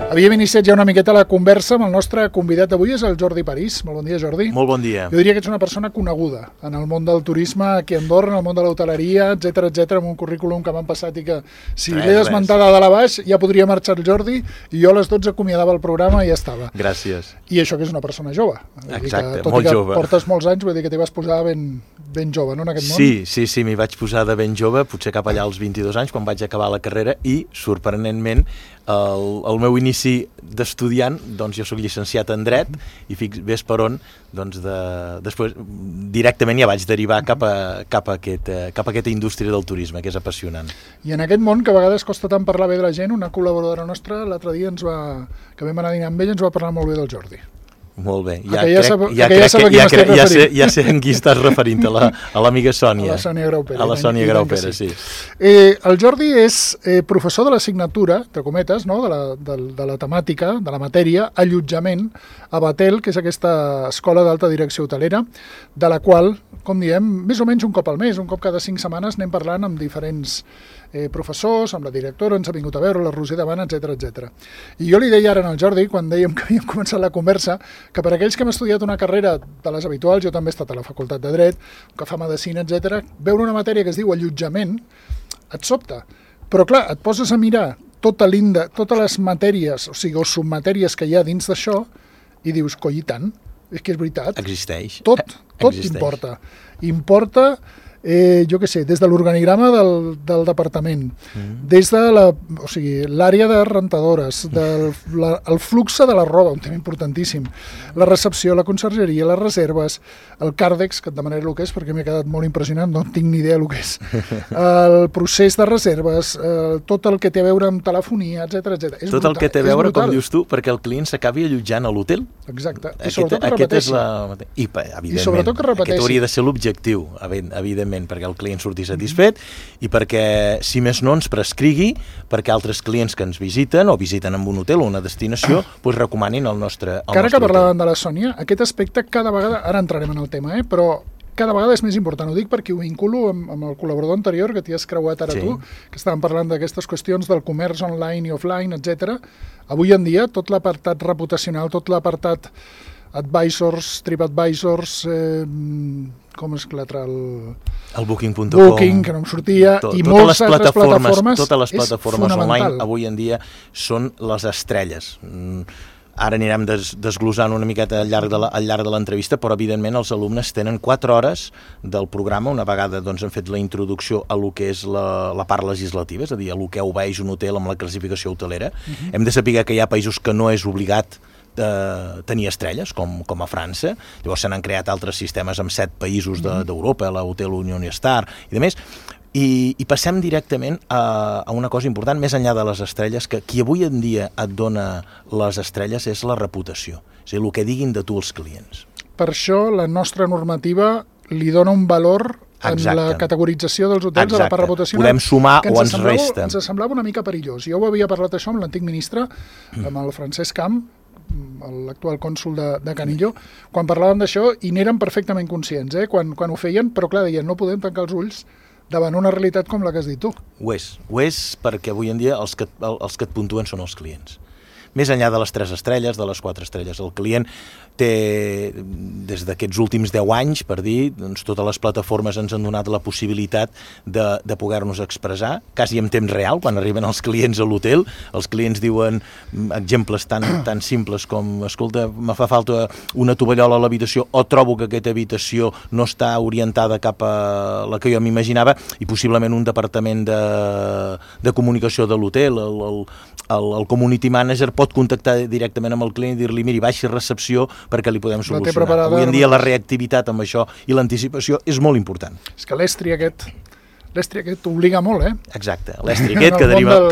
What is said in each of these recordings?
Havíem iniciat ja una miqueta la conversa amb el nostre convidat d'avui, és el Jordi París. Molt bon dia, Jordi. Molt bon dia. Jo diria que ets una persona coneguda en el món del turisme aquí a Andorra, en el món de l'hoteleria, etc, amb un currículum que m'han passat i que si l'he d'esmentar de la baix ja podria marxar el Jordi i jo a les 12 acomiadava el programa i ja estava. Gràcies. I això que és una persona jove. Exacte, tot molt i que jove. Portes molts anys, vull dir que t'hi vas posar ben jove, no, en aquest món? Sí, m'hi vaig posar de ben jove, potser cap allà als 22 anys, quan vaig acabar la carrera, i, sorprenentment, el meu inici d'estudiant, doncs jo soc llicenciat en Dret, i ves per on, doncs després directament ja vaig derivar cap a aquesta indústria del turisme, que és apassionant. I en aquest món, que a vegades costa tant parlar bé de la gent, una col·laboradora nostra l'altre dia que vam anar a dinar amb ell, ens va parlar molt bé del Jordi. Molt bé, ja sé en qui estàs referint, a l'amiga Sònia. A la Sònia Graupera. A la Sònia Graupera, sí. El Jordi és professor de l'assignatura, entre cometes, no? de la temàtica, de la matèria, allotjament a Batel, que és aquesta escola d'alta direcció hotelera, de la qual, com diem, més o menys un cop al mes, un cop cada 5 setmanes, anem parlant amb diferents professors, amb la directora, ens ha vingut a veure, la Roser Davant, etc. I jo li deia ara al Jordi, quan dèiem que havíem començat la conversa, que per aquells que hem estudiat una carrera de les habituals, jo també he estat a la Facultat de Dret, que fa Medicina, etc., veure una matèria que es diu allotjament et sobta. Però clar, et poses a mirar totes les matèries, o sigui, o submatèries que hi ha dins d'això, i dius, coi, i tant, és que és veritat. Existeix. Tot importa. Importa, jo què sé, des de l'organigrama del departament, des de l'àrea de rentadores, el flux de la roba, un tema importantíssim, la recepció, la consergeria, les reserves, el càrdex, que et demanaré el que és, perquè m'he quedat molt impressionant, no tinc ni idea el que és, el procés de reserves, tot el que té a veure amb telefonia, etc. Tot el que té a veure, com dius tu, perquè el client s'acabi allotjant a l'hotel. Exacte, i sobretot que repeteixi. I sobretot que repeteixi. Aquest hauria de ser l'objectiu, evidentment, perquè el client surti satisfet i perquè, si més no, ens prescrigui perquè altres clients que ens visiten o visiten en un hotel o una destinació recomanin el nostre hotel. Ara que parlàvem de la Sònia, aquest aspecte cada vegada, ara entrarem en el tema, però cada vegada és més important. Ho dic perquè ho vinculo amb el col·laborador anterior que t'hi has creuat ara tu, que estàvem parlant d'aquestes qüestions del comerç online i offline, etc. Avui en dia, tot l'apartat reputacional, tot l'apartat advisors, TripAdvisors, com és l'altre? El Booking.com. Booking, que no em sortia, i moltes altres plataformes. Totes les plataformes online avui en dia són les estrelles. Ara anirem desglossant una miqueta al llarg de l'entrevista, però evidentment els alumnes tenen 4 hores del programa, una vegada han fet la introducció a lo que és la part legislativa, és a dir, a lo que obeeix un hotel amb la classificació hotelera. Hem de saber que hi ha països que no és obligat tenir estrelles, com a França. Llavors se n'han creat altres sistemes amb 7 països d'Europa, l'Hotel Union Star i demés. I passem directament a una cosa important, més enllà de les estrelles, que qui avui en dia et dona les estrelles és la reputació, és a dir, el que diguin de tu els clients. Per això la nostra normativa li dona un valor en la categorització dels hotels a la part reputacional. Podem sumar o ens resta. Ens semblava una mica perillós. Jo ho havia parlat això amb l'antic ministre, amb el Francesc Camp, l'actual cònsol de Canillo, quan parlàvem d'això, i n'eren perfectament conscients, quan ho feien, però clar, deien, no podem tancar els ulls davant una realitat com la que has dit tu. Ho és perquè avui en dia els que et puntuen són els clients. Més enllà de les 3 estrelles, de les 4 estrelles, el client té, des d'aquests últims 10 anys, per dir, totes les plataformes ens han donat la possibilitat de poder-nos expressar, quasi en temps real, quan arriben els clients a l'hotel. Els clients diuen exemples tan simples com, escolta, me fa falta una tovallola a l'habitació, o trobo que aquesta habitació no està orientada cap a la que jo m'imaginava, i possiblement un departament de comunicació de l'hotel, el community manager, pot contactar directament amb el client i dir-li, miri, baixi recepció perquè li podem solucionar. Avui en dia la reactivitat amb això i l'anticipació és molt important. És que l'estri aquest t'obliga molt, Exacte, l'estri aquest que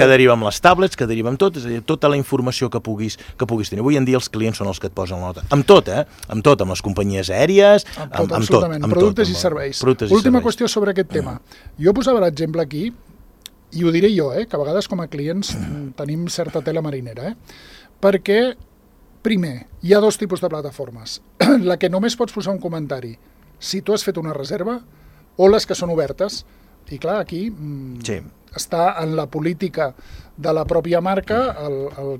deriva amb les tablets, que deriva amb tot, és a dir, tota la informació que puguis tenir. Avui en dia els clients són els que et posen la nota. Amb tot, amb les companyies aèries, amb tot. Absolutament, productes i serveis. Última qüestió sobre aquest tema. Jo posava l'exemple aquí, i ho diré jo, que a vegades com a clients tenim certa tela marinera, perquè, primer, hi ha 2 tipus de plataformes. La que només pots posar un comentari si tu has fet una reserva, o les que són obertes. I clar, aquí està en la política de la pròpia marca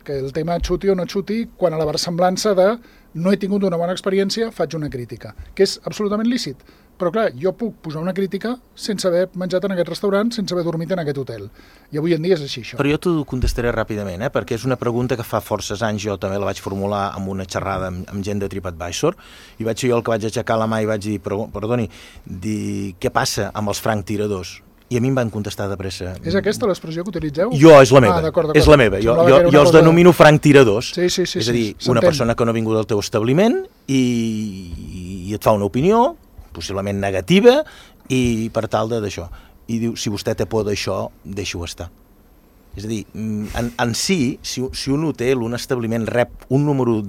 que el tema xuti o no xuti, quan a la versemblança de no he tingut una bona experiència, faig una crítica, que és absolutament lícit. Però clar, jo puc posar una crítica sense haver menjat en aquest restaurant, sense haver dormit en aquest hotel. I avui en dia és així, això. Però jo t'ho contestaré ràpidament, perquè és una pregunta que fa forces anys jo també la vaig formular amb una xerrada amb gent de TripAdvisor, i vaig ser jo el que vaig aixecar la mà i vaig dir, perdoni, què passa amb els franctiradors? I a mi em van contestar de pressa. És aquesta l'expressió que utilitzeu? Jo, és la meva. És la meva. Jo els denomino franctiradors. Sí, és a dir, una persona que no ha vingut al teu establiment i et fa una opinió, possiblement negativa, i per tal d'això. I diu, si vostè té por d'això, deixi-ho estar. És a dir, en si un hotel, un establiment rep un número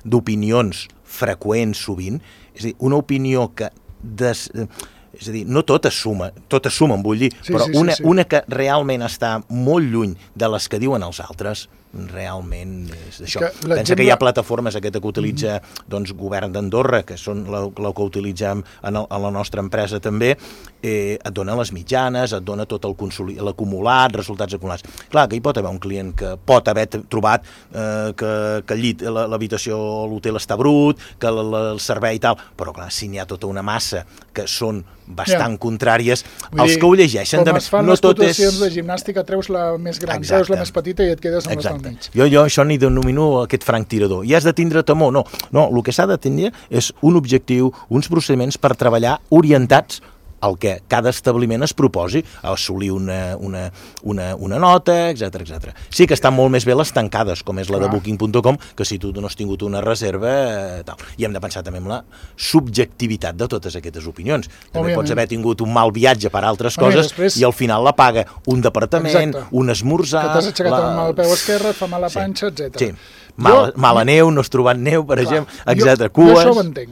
d'opinions freqüents sovint, és a dir, una opinió que... És a dir, no tot es sumen, vull dir, però una que realment està molt lluny de les que diuen els altres, realment és això. Pensa que hi ha plataformes, aquesta que utilitza govern d'Andorra, que són la que utilitzem a la nostra empresa també, et dona les mitjanes, et dona tot l'acumulat, resultats acumulats. Clar, que hi pot haver un client que pot haver trobat que el llit, l'habitació o l'hotel està brut, que el servei i tal, però clar, si n'hi ha tota una massa que són bastant contràries, els que ho llegeixen també... Com es fan les puntuacions de gimnàstica, treus la més gran, treus la més petita i et quedes amb les del mig. Jo això n'hi denomino aquest franctirador. I has de tindre temor? No, el que s'ha de tenir és un objectiu, uns procediments per treballar orientats el que cada establiment es proposi, a assolir una nota, etc. Sí que estan molt més bé les tancades, com és la de Booking.com, que si tu no has tingut una reserva, tal. I hem de pensar també en la subjectivitat de totes aquestes opinions. També pots haver tingut un mal viatge per altres coses i al final la paga un departament, un esmorzar... Que t'has aixecat amb el peu esquerre, et fa mal la panxa, etc. Sí. Mala neu, no has trobat neu, per exemple, etc. Cues... Jo això ho entenc,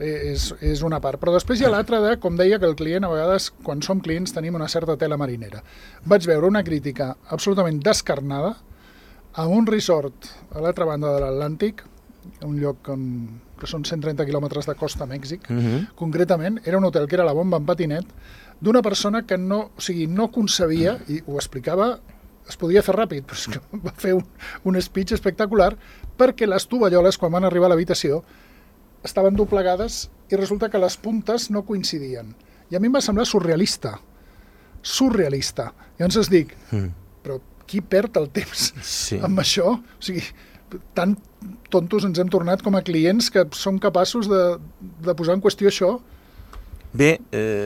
és una part. Però després hi ha l'altra de, com deia, que el client, a vegades, quan som clients, tenim una certa tela marinera. Vaig veure una crítica absolutament descarnada a un resort a l'altra banda de l'Atlàntic, un lloc que són 130 quilòmetres de costa a Mèxic, concretament, era un hotel que era la bomba en patinet, d'una persona que no concebia, i ho explicava, es podia fer ràpid, però és que va fer un speech espectacular, perquè les tovalloles, quan van arribar a l'habitació, estaven doblegades i resulta que les puntes no coincidien. I a mi em va semblar surrealista. Llavors es dic, però qui perd el temps amb això? O sigui, tan tontos ens hem tornat com a clients que som capaços de posar en qüestió això. Bé,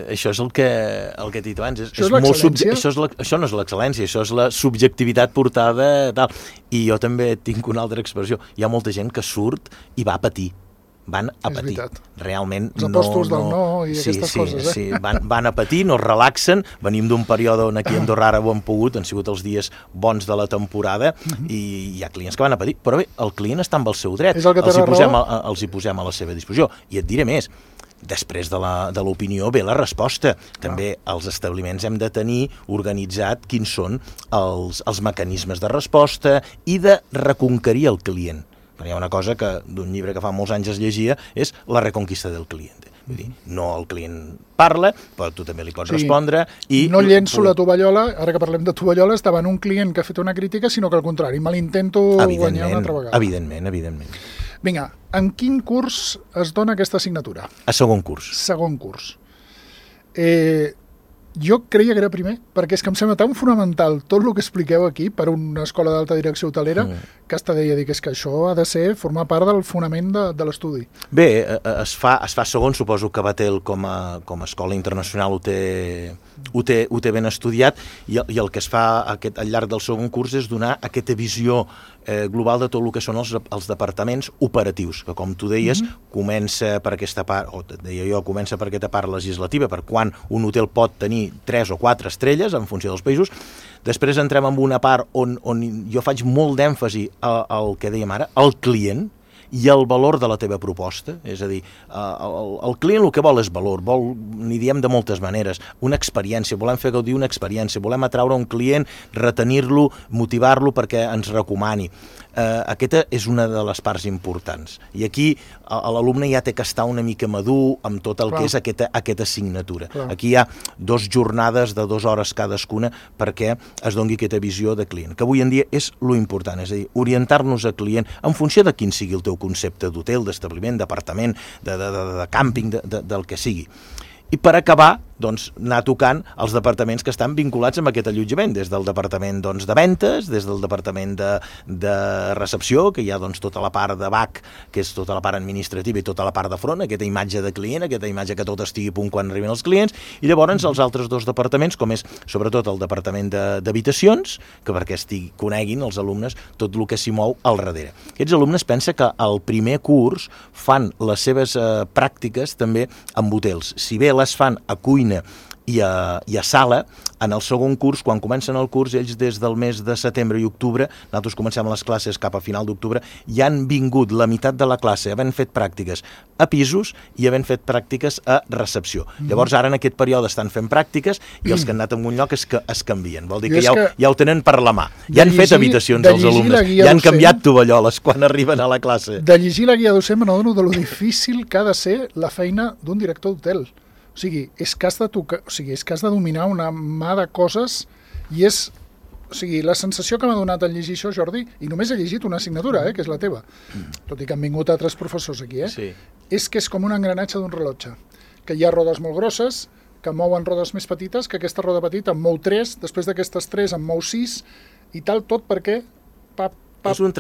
això és el que he dit abans. Això no és l'excel·lència, això és la subjectivitat portada tal. I jo també tinc una altra expressió. Hi ha molta gent que surt i va a patir. Van a patir. Realment els apòstols del no i aquestes coses. Sí, van a patir, no es relaxen. Venim d'un període on aquí a Andorra ara ho han pogut, han sigut els dies bons de la temporada i hi ha clients que van a patir. Però bé, el client està amb el seu dret. Els hi posem a la seva disposició. I et diré més. Després de l'opinió ve la resposta. També els establiments hem de tenir organitzat quins són els mecanismes de resposta i de reconquerir el client. Hi ha una cosa que d'un llibre que fa molts anys es llegia, és la reconquista del client. Vull dir, no el client parla, però tu també li pots respondre. No llenço la tovallola, ara que parlem de tovalloles, davant un client que ha fet una crítica, sinó que al contrari, me l'intento guanyar una altra vegada. Evidentment. Vinga, en quin curs es dona aquesta assignatura? A segon curs. Segon curs. Jo creia que era primer, perquè és que em sembla tan fonamental tot el que expliqueu aquí per una escola d'alta direcció hotelera que hasta deia que és que això ha de formar part del fonament de l'estudi. Bé, es fa segon, suposo que Batel com a escola internacional ho té ben estudiat i el que es fa al llarg del segon curs és donar aquesta visió global de tot el que són els departaments operatius, que com tu deies, comença per aquesta part, comença per aquesta part legislativa, per quan un hotel pot tenir 3 o 4 estrelles en funció dels països. Després entrem en una part on jo faig molt d'èmfasi al que dèiem ara, el client i el valor de la teva proposta. És a dir, el client el que vol és valor, n'hi diem de moltes maneres, una experiència, volem fer gaudir una experiència, volem atraure un client, retenir-lo, motivar-lo perquè ens recomani. aquesta és una de les parts importants. I aquí l'alumne ja té que estar una mica madur amb tot el que és aquesta assignatura. Aquí hi ha 2 jornades de 2 hores cadascuna perquè es doni aquesta visió de client, que avui en dia és lo important, és a dir, orientar-nos a client en funció de quin sigui el teu concepte d'hotel, d'establiment, d'apartament, de càmping, del que sigui. I per acabar, doncs, anar tocant els departaments que estan vinculats amb aquest allotjament, des del departament de ventes, des del departament de recepció, que hi ha tota la part de back, que és tota la part administrativa, i tota la part de front, aquesta imatge de client, aquesta imatge que tot estigui a punt quan arriben els clients, i llavors els altres 2 departaments, com és sobretot el departament d'habitacions, que perquè coneguin els alumnes tot el que s'hi mou al darrere. Aquests alumnes pensa que al primer curs fan les seves pràctiques també amb hotels. Si bé les fan a cuina i a sala, en el segon curs, quan comencen el curs, ells des del mes de setembre i octubre, nosaltres comencem les classes cap a final d'octubre, ja han vingut la meitat de la classe havent fet pràctiques a pisos i havent fet pràctiques a recepció. Llavors ara en aquest període estan fent pràctiques i els que han anat en un lloc es canvien. Vol dir que ja ho tenen per la mà. Ja han fet habitacions els alumnes, ja han canviat tovalloles quan arriben a la classe. De llegir la guia docent m'adono de lo difícil que ha de ser la feina d'un director d'hotel. O sigui, és que has de dominar una mà de coses i és... O sigui, la sensació que m'ha donat al llegir això, Jordi, i només he llegit una assignatura, que és la teva, tot i que han vingut altres professors aquí, sí. És que és com un engranatge d'un rellotge, que hi ha rodes molt grosses, que mouen rodes més petites, que aquesta roda petita en mou 3, després d'aquestes 3 en mou 6, i tal, tot perquè... És un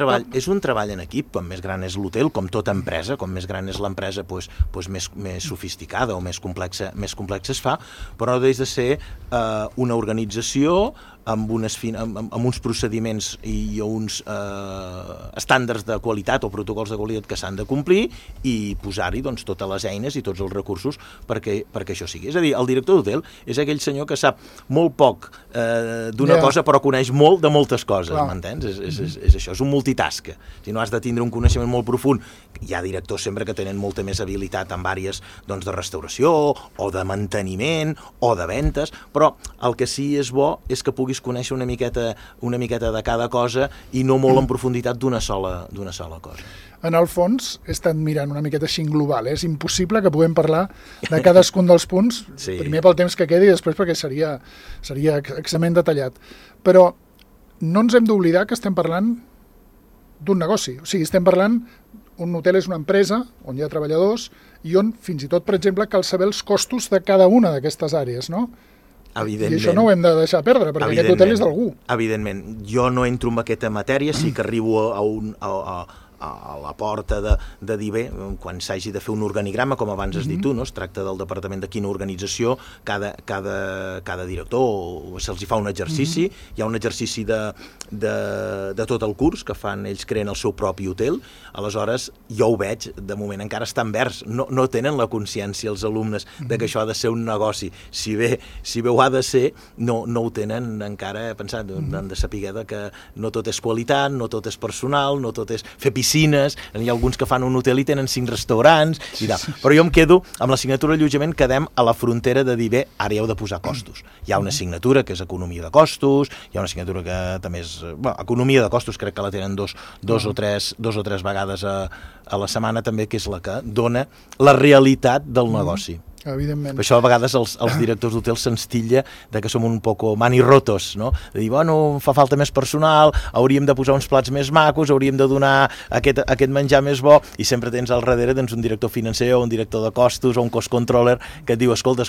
treball en equip, com més gran és l'hotel, com tota empresa, com més gran és l'empresa, més sofisticada o més complexa es fa, però no deixa de ser una organització amb uns procediments i uns estàndards de qualitat o protocols de qualitat que s'han de complir i posar-hi totes les eines i tots els recursos perquè això sigui. És a dir, el director d'hotel és aquell senyor que sap molt poc d'una cosa però coneix molt de moltes coses, m'entens? És això, és un multitask. Si no has de tindre un coneixement molt profund, hi ha directors sempre que tenen molta més habilitat en àrees de restauració o de manteniment o de ventes, però el que sí és bo és que puguis conèixer una miqueta de cada cosa i no molt en profunditat d'una sola cosa. En el fons, he estat mirant una miqueta així en global, és impossible que puguem parlar de cadascun dels punts, primer pel temps que quedi i després perquè seria extremament detallat. Però no ens hem d'oblidar que estem parlant d'un negoci, o sigui, estem parlant, un hotel és una empresa on hi ha treballadors i on, fins i tot, per exemple, cal saber els costos de cada una d'aquestes àrees, no? Evidentment. I això no ho hem de deixar perdre, perquè aquest hotel és d'algú. Evidentment. Jo no entro en aquesta matèria, sí que arribo a la porta de dir bé, quan s'hagi de fer un organigrama, com abans has dit tu, no? Es tracta del departament de quina organització, cada director se'ls fa un exercici, hi ha un exercici de tot el curs que fan, ells creen el seu propi hotel, aleshores jo ho veig, de moment encara estan verds, no tenen la consciència els alumnes de que això ha de ser un negoci, si bé ho ha de ser, no ho tenen encara pensat, han de saber que no tot és qualitat, no tot és personal, no tot és fer piscines, hi ha alguns que fan un hotel i tenen 5 restaurants i tal. Però jo em quedo amb l'assignatura d'allotjament, quedem a la frontera de dir bé, ara hi heu de posar costos. Hi ha una assignatura que és economia de costos, hi ha una assignatura que també és... economia de costos crec que la tenen dos o tres vegades a la setmana també, que és la que dona la realitat del negoci. Evidentment. Per això a vegades els directors d'hotels se'ns titlla de que som un poco manirrotos, no? De dir, bueno, fa falta més personal, hauríem de posar uns plats més macos, hauríem de donar aquest menjar més bo, i sempre tens al darrere un director financer o un director de costos o un cost controller que et diu, escolta,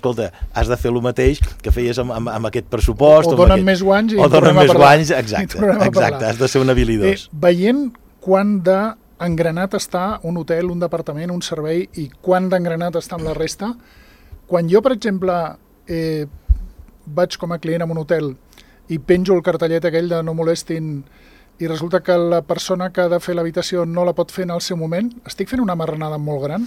has de fer el mateix que feies amb aquest pressupost. O donen més guanys i tornem a parlar. Exacte, has de ser un habilidós. Veient quan d'engranat està un hotel, un departament, un servei i quan d'engranat està amb la resta, quan jo, per exemple, vaig com a client en un hotel i penjo el cartellet aquell de no molestin i resulta que la persona que ha de fer l'habitació no la pot fer en el seu moment, estic fent una marranada molt gran?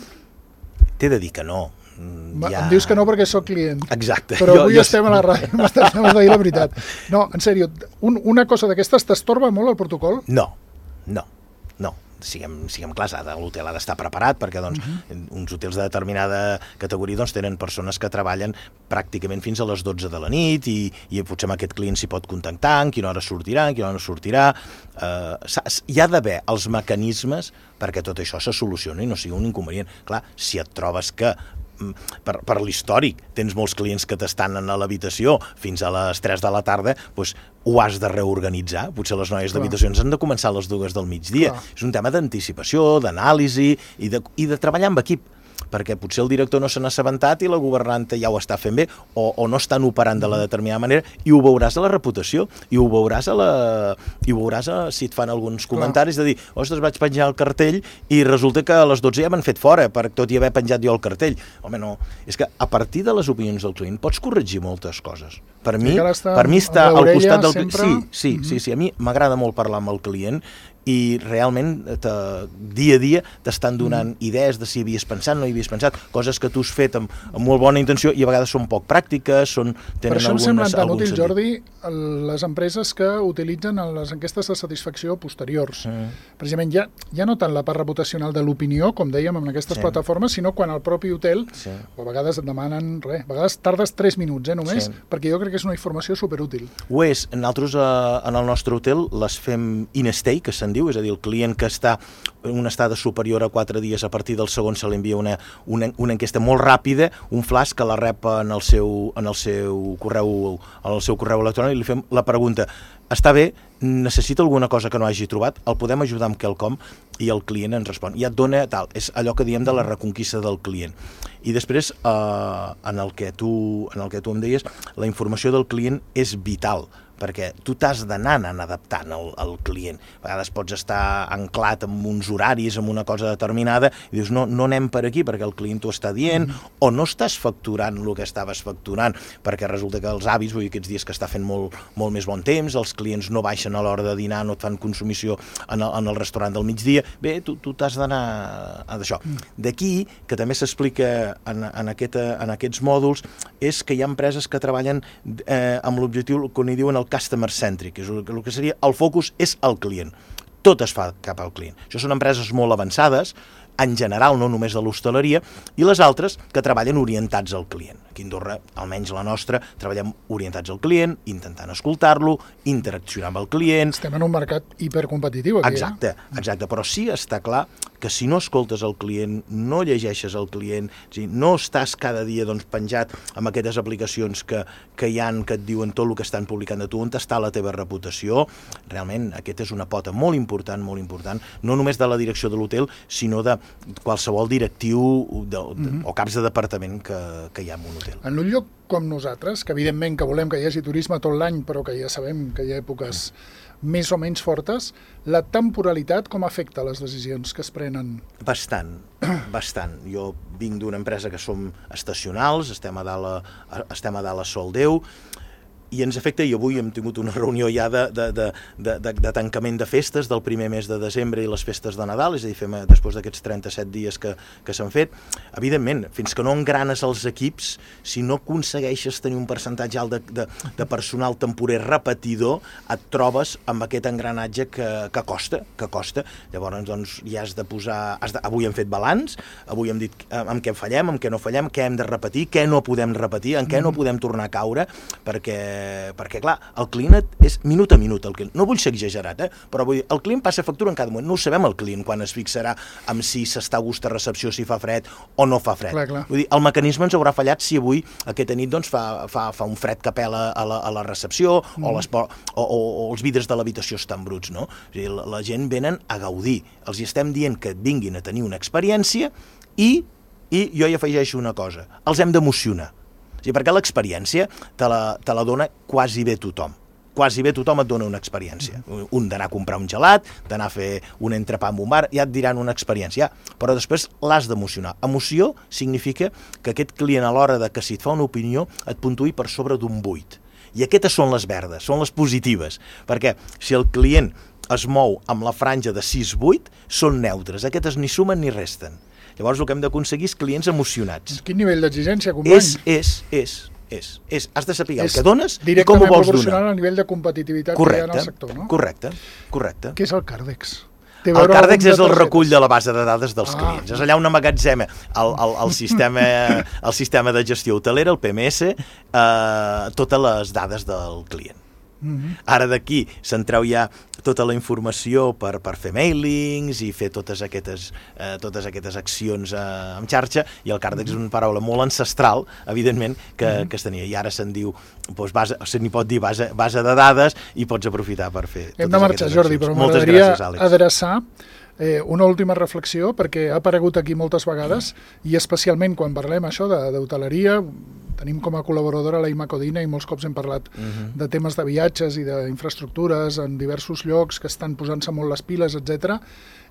T'he de dir que no. Em dius que no perquè sóc client. Exacte. Però avui estem a la ràdio, m'has de dir la veritat. No, en sèrio, una cosa d'aquestes t'estorba molt el protocol? No. siguem clars, l'hotel ha d'estar preparat perquè doncs, uns hotels de determinada categoria doncs, tenen persones que treballen pràcticament fins a les 12 de la nit i potser amb aquest client s'hi pot contactar, en quina hora sortirà, en quina hora no sortirà. Hi ha d'haver els mecanismes perquè tot això se solucioni i no sigui un inconvenient. Clar, si et trobes que per l'històric tens molts clients que t'estan a l'habitació fins a les 3 de la tarda, doncs ho has de reorganitzar. Potser les noies d'habitacions han de començar a les 2 del migdia. És un tema d'anticipació, d'anàlisi i de treballar amb equip, perquè potser el director no se n'ha assabentat i la governanta ja ho està fent bé o no estan operant de la determinada manera i ho veuràs a la reputació i ho veuràs si et fan alguns comentaris de dir, ostres, vaig penjar el cartell i resulta que a les 12 ja m'han fet fora tot i haver penjat jo el cartell. Home, no, és que a partir de les opinions del client pots corregir moltes coses. Per mi està al costat del client. Sí, a mi m'agrada molt parlar amb el client i realment dia a dia t'estan donant idees de si havies pensat, no hi havies pensat, coses que tu has fet amb molt bona intenció i a vegades són poc pràctiques, tenen per això em semblen tan útils, Jordi, les empreses que utilitzen les enquestes de satisfacció posteriors. Precisament ja no tant la part reputacional de l'opinió, com dèiem en aquestes plataformes, sinó quan el propi hotel, a vegades et demanen a vegades tardes 3 minuts només, perquè jo crec que és una informació superútil. Ho és. Nosaltres en el nostre hotel les fem in-stay, que se'n diu, és a dir, el client que està en una estada superior a 4 dies, a partir del segon se li envia una enquesta molt ràpida, un flash que la rep en el seu correu electrònic i li fem la pregunta: està bé, necessita alguna cosa que no hagi trobat, el podem ajudar amb quelcom? I el client ens respon. I et dona tal, és allò que diem de la reconquista del client. I després, en el que tu em deies, la informació del client és vital, perquè tu t'has d'anar adaptant al client. A vegades pots estar anclat amb uns horaris, amb una cosa determinada, i dius, no anem per aquí perquè el client t'ho està dient, o no estàs facturant el que estaves facturant, perquè resulta que els avis, vull dir, aquests dies que està fent molt més bon temps, els clients no baixen a l'hora de dinar, no et fan consumició en el restaurant del migdia, bé, tu t'has d'anar a d'això. D'aquí, que també s'explica en aquests mòduls, és que hi ha empreses que treballen amb l'objectiu que n'hi diuen el customer centric, és el que seria el focus és el client. Tot es fa cap al client. Això són empreses molt avançades, en general, no només de l'hostaleria, i les altres que treballen orientats al client. Aquí a Andorra, almenys la nostra, treballem orientats al client, intentant escoltar-lo, interaccionar amb el client. Estem en un mercat hipercompetitiu aquí. Exacte, però sí està clar que si no escoltes el client, no llegeixes el client, no estàs cada dia penjat amb aquestes aplicacions que hi ha, que et diuen tot el que estan publicant de tu, on està la teva reputació, realment aquesta és una pota molt important, no només de la direcció de l'hotel, sinó de qualsevol directiu o caps de departament que hi ha en un hotel. En un lloc com nosaltres, que evidentment que volem que hi hagi turisme tot l'any, però que ja sabem que hi ha èpoques més o menys fortes, la temporalitat com afecta les decisions que es prenen? Bastant. Jo vinc d'una empresa que som estacionals, estem a dalt a Sol Déu, i ens afecta, i avui hem tingut una reunió ja de tancament de festes del primer mes de desembre i les festes de Nadal, és a dir, fem després d'aquests 37 dies que s'han fet. Evidentment, fins que no engranes els equips, si no aconsegueixes tenir un percentatge alt de personal temporer repetidor, et trobes amb aquest engranatge que costa. Llavors, doncs, ja has de posar... Avui hem fet balanç, avui hem dit amb què fallem, amb què no fallem, què hem de repetir, què no podem repetir, en què no podem tornar a caure, perquè clar, el client és minut a minut. No vull ser exagerat, però vull dir, el client passa factura en cada moment. No ho sabem el client quan es fixarà amb si s'està a gust a recepció, si fa fred o no fa fred. Clar. Vull dir, el mecanisme ens haurà fallat si avui, aquesta nit, doncs, fa un fred que pela a la recepció o els vidres de l'habitació estan bruts, no? O sigui, la gent venen a gaudir. Els hi estem dient que vinguin a tenir una experiència i jo hi afegeixo una cosa, els hem d'emocionar. Sí, perquè l'experiència te la dona quasi bé tothom. Quasi bé tothom et dona una experiència. Un d'anar a comprar un gelat, d'anar a fer un entrepà en un bar, ja et diran una experiència. Però després l'has d'emocionar. Emoció significa que aquest client a l'hora de que si et fa una opinió et puntuï per sobre d'un 8. I aquestes són les verdes, són les positives. Perquè si el client es mou amb la franja de 6-8, són neutres. Aquestes ni sumen ni resten. Llavors el que hem d'aconseguir és clients emocionats. Quin nivell d'exigència, company? Has de saber el que dones i com ho vols donar. Directament proporcional al nivell de competitivitat que hi ha en el sector, no? Correcte. Què és el Cardex? El Cardex és el recull de la base de dades dels clients. És allà on emmagatzema el sistema de gestió hotelera, el PMS, totes les dades del client. Ara d'aquí se'n treu ja tota la informació per fer mailings i fer totes aquestes accions en xarxa, i el Cardex és una paraula molt ancestral, evidentment, que es tenia, i ara se'n diu, se n'hi pot dir base de dades, i pots aprofitar per fer totes aquestes accions. Hem de marxar, Jordi, però m'agradaria adreçar una última reflexió, perquè ha aparegut aquí moltes vegades, i especialment quan parlem això d'hoteleria. Tenim com a col·laboradora la Imma Codina i molts cops hem parlat de temes de viatges i d'infraestructures en diversos llocs que estan posant-se molt les piles, etc.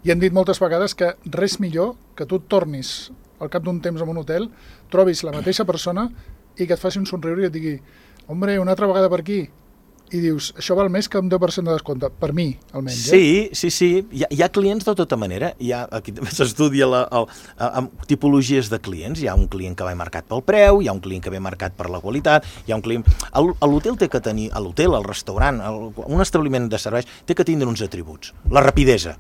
I hem dit moltes vegades que res millor que tu et tornis al cap d'un temps en un hotel, trobis la mateixa persona i que et faci un somriure i et digui: hombre, una altra vegada per aquí. I dius, això val més que un 10% de descompte, per mi, almenys. Sí. Hi ha clients de tota manera. Aquí s'estudia amb tipologies de clients. Hi ha un client que va marcat pel preu, hi ha un client que ve marcat per la qualitat, hi ha un client... L'hotel té que tenir, l'hotel, el restaurant, un establiment de serveis, té que tindre uns atributs. La rapidesa.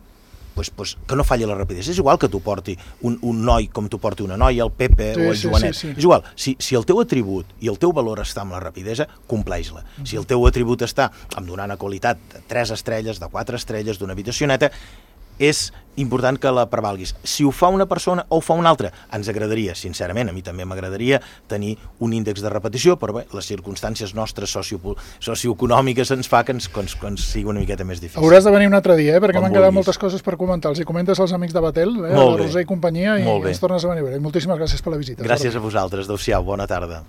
Pues que no falli la rapidesa. És igual que t'ho porti un noi com t'ho porti una noia, el Pepe o el Joanet. Sí. És igual. Si el teu atribut i el teu valor està amb la rapidesa, compleix-la. Si el teu atribut està amb donar una qualitat de 3 estrelles, de 4 estrelles, d'una habitacioneta, és important que la prevalguis. Si ho fa una persona o ho fa una altra, ens agradaria, sincerament, a mi també m'agradaria tenir un índex de repetició, però bé, les circumstàncies nostres socioeconòmiques ens fa que ens sigui una miqueta més difícil. Hauràs de venir un altre dia, perquè m'han quedat moltes coses per comentar. Els hi comentes als amics de Batel, la Roser i companyia, i ens tornes a venir. Moltíssimes gràcies per la visita. Gràcies a vosaltres. Adéu-siau, bona tarda.